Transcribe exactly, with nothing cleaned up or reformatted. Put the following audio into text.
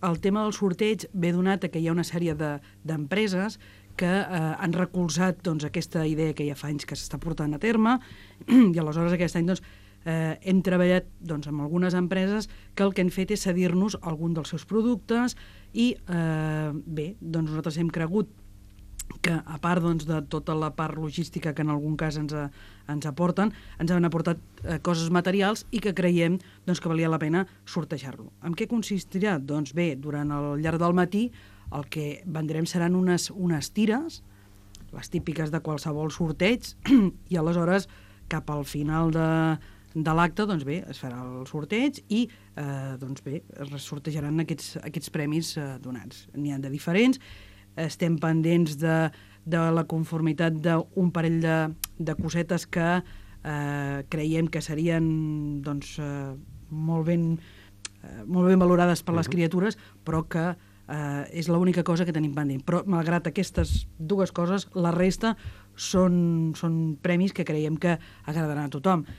El tema del sorteig ve donat que hi ha una sèrie d'empreses que eh, han recolzat doncs, aquesta idea que ja fa anys que s'està portant a terme i aleshores aquest any doncs, eh, hem treballat doncs, amb algunes empreses que el que han fet és cedir-nos algun dels seus productes i eh, bé, doncs nosaltres hem cregut que a part doncs, de tota la part logística que en algun cas ens, a, ens aporten, ens han aportat eh, coses materials i que creiem doncs, que valia la pena sortejar-lo. En què consistirà? Doncs bé, durant el llarg del matí el que vendrem seran unes, unes tires, les típiques de qualsevol sorteig, i aleshores cap al final de, de l'acte doncs bé, es farà el sorteig i eh, doncs bé, es sortejaran aquests, aquests premis eh, donats. N'hi ha de diferents. Estem pendents de, de la conformitat d'un parell de, de cosetes que eh, creiem que serien doncs, eh, molt, ben, eh, molt ben valorades per les criatures, però que eh, és l'única cosa que tenim pendent. Però, malgrat aquestes dues coses, la resta són, són premis que creiem que agradaran a tothom.